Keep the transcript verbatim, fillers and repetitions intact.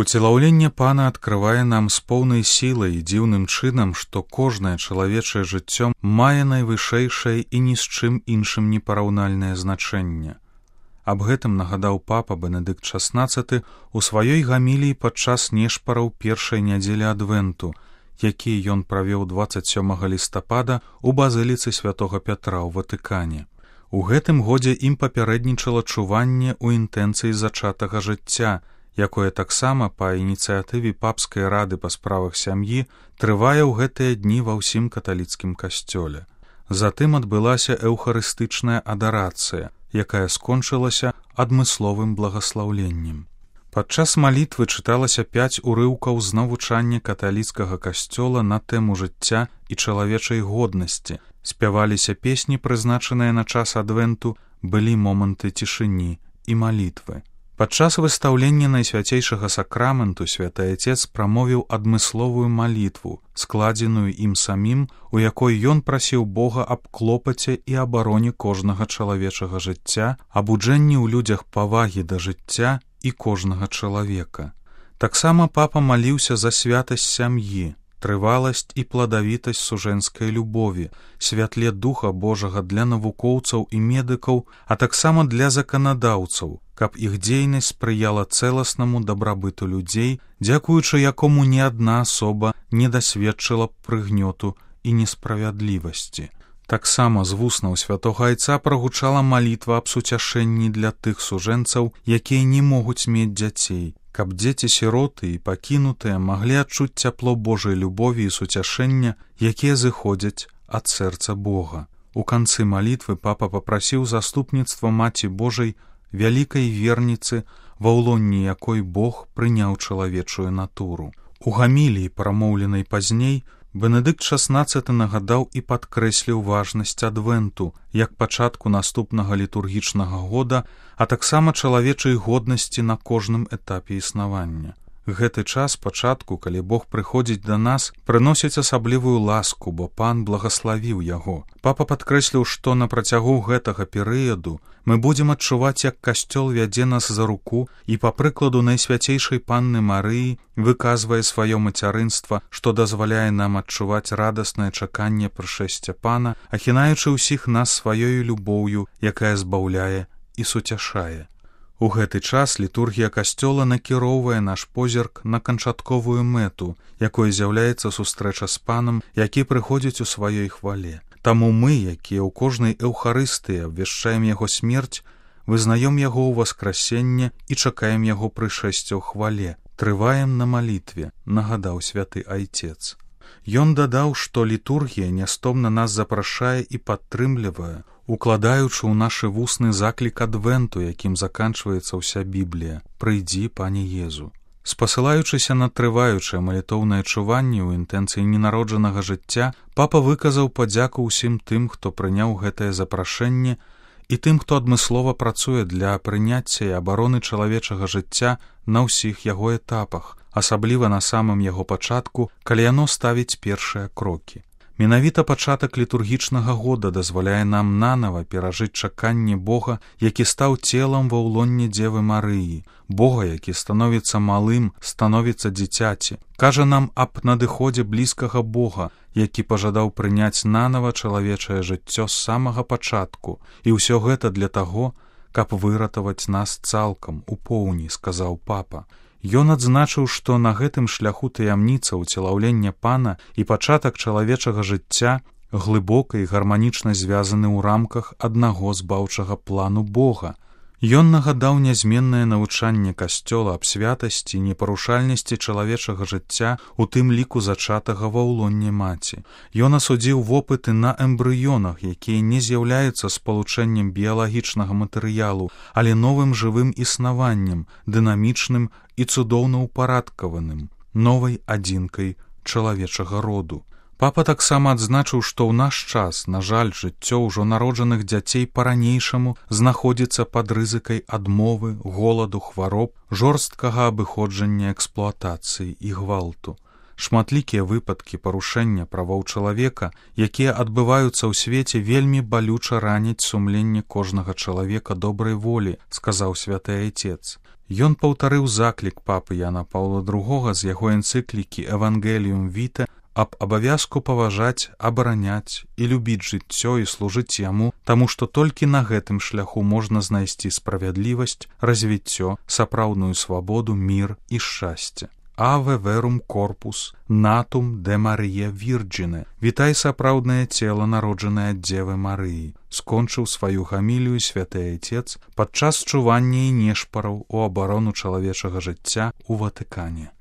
Уцелаўленне Пана адкрывае нам з поўнай сілай і дзіўным чынам, што кожнае чалавечае жыццё мае найвышэйшае і ні з чым іншым непараўнальнае значэнне. Аб гэтым нагадаў папа Бенедыкт шаснаццаты у сваёй гаміліі падчас нешпараў першай нядзелі адвенту, які ён правёў дваццаць сёмага лістапада ў базыліцы святога Пятра ў Ватыкане. У гэтым годзе ім папярэднічала чуванне ў інтэнцыі зачатага жыцця, якое таксама па ініцыятыве папскай рады па справах сям'і трывае ў гэтыя дні ва ўсім каталіцкім касцёле. Затым адбылася эўхарыстычная адарацыя, якая скончылася адмысловым благаслаўленнем. Падчас малітвы чыталася пяць урыўкаў з навучання каталіцкага касцёла на тэму жыцця і чалавечай годнасці, спяваліся песні, прызначаныя на час адвенту, былі моманты цішыні і малітвы. Падчас выстаўлення найсвяцейшага сакраменту святы Айцец прамовіў адмысловую малітву, складзеную ім самім, у якой ён прасіў Бога аб клопаце і абароне кожнага чалавечага жыцця, абуджэнні ў людзях павагі да жыцця і кожнага чалавека. Таксама папа маліўся за святасць сям'і, трываласць і пладавітасць сужэнскай любові, святле Духа Божага для навукоўцаў і медыкаў, а таксама для заканадаўцаў, каб іх дзейнасць спрыяла цэласнаму дабрабыту людзей, дзякуючы якому ні адна асоба не дасведчыла прыгнёту і несправядлівасці. Таксама з вуснаў святога Айца прагучала малітва аб суцяшэнні для тых сужэнцаў, якія не могуць мець дзяцей, каб дзеці-сіроты і пакінутыя маглі адчуць цяпло Божай любові і суцяшэння, якія зыходзяць ад сэрца Бога. У канцы малітвы папа папрасіў заступніцтва Маці Божай, вялікай верніцы, ва ўлонні якой Бог прыняў чалавечую натуру. У гаміліі, прамоўленай пазней, Бенедыкт шаснаццаты нагадаў і падкрэсліў важнасць адвенту, як пачатку наступнага літургічнага года, а таксама чалавечай годнасці на кожным этапе існавання. Гэты час пачатку, калі Бог прыходзіць да нас, прыносіць асаблівую ласку, бо Пан благаславіў яго. Папа падкрэсліў, што на працягу гэтага перыяду мы будзем адчуваць, як касцёл вядзе нас за руку і, па прыкладу найсвяцейшай Панны Марыі, выказвае сваё мацярынства, што дазваляе нам адчуваць радаснае чаканне прышэсця Пана, ахінаючы ўсіх нас сваёю любоўю, якая збаўляе і суцяшае. У гэты час літургія касцёла накіроўвае наш позірк на канчатковую мэту, якой з'яўляецца сустрэча з Панам, які прыходзіць у сваёй хвале. Таму мы, якія ў кожнай эўхарыстыі абвяшчаем яго смерць, вызнаём яго ў васкрасенне і чакаем яго прышэсця ў хвале, трываем на малітве, нагадаў святы Айцец. Ён дадаў, што літургія нястомна нас запрашае і падтрымлівае, укладаючы ў нашы вусны заклік адвенту, якім заканчваецца ўся Біблія «Прыйдзі, Пане Езу». Спасылаючыся на трываючае малітоўнае чуванне ў інтэнцыі ненароджанага жыцця, папа выказаў падзяку ўсім тым, хто прыняў гэтае запрашэнне, і тым, хто адмыслова працуе для прыняцця і абароны чалавечага жыцця на ўсіх яго этапах, асабліва на самым яго пачатку, калі яно ставіць першыя крокі. Менавіта пачатак літургічнага года дазваляе нам нанава перажыць чаканне Бога, які стаў целам ва ўлонне Дзевы Марыі, Бога, які становіцца малым, становіцца дзіцяці, кажа нам аб надыходзе блізкага Бога, які пажадаў прыняць нанава чалавечае жыццё з самага пачатку, і ўсё гэта для таго, каб выратаваць нас цалкам, у поўні, сказаў папа. Ён адзначыў, што на гэтым шляху таямніца ўцелаўлення Пана і пачатак чалавечага жыцця глыбока і гарманічна звязаны ў рамках аднаго збаўчага плану Бога. Ён нагадаў нязменнае навучанне касцёла аб святасці і непарушальнасці чалавечага жыцця, у тым ліку зачатага ва ўлонне маці. Ён асудзіў вопыты на эмбрыёнах, якія не з'яўляюцца спалучэннем біялагічнага матэрыялу, але новым жывым існаваннем, дынамічным і цудоўна ўпарадкаваным, новай адзінкай чалавечага роду. Папа таксама адзначыў, што ў наш час, на жаль, жыццё ўжо народжаных дзяцей па-ранейшаму знаходзіцца пад рызыкай адмовы, голаду, хвароб, жорсткага абыходжання эксплуатацыі і гвалту. Шматлікія выпадкі парушэння правоў чалавека, якія адбываюцца ў свеце, вельмі балюча раняць сумленне кожнага чалавека добрай волі, сказаў святы Айцец. Ён паўтарыў заклік папы Яна Паўла другога з яго энцыклікі «Евангеліум Віта» аб абавязку паважаць, абараняць і любіць жыццё і служыць яму, таму што толькі на гэтым шляху можна знайсці справядлівасць, развіццё, сапраўдную свабоду, мір і шчасце. Аве верум корпус, натум де Марія Вірджіне. Вітай сапраўднае цела, народжанае ад Дзевы Марыі. Скончыў сваю гамілію святы Айцец падчас чування і нешпараў у абарону чалавечага жыцця ў Ватыкане.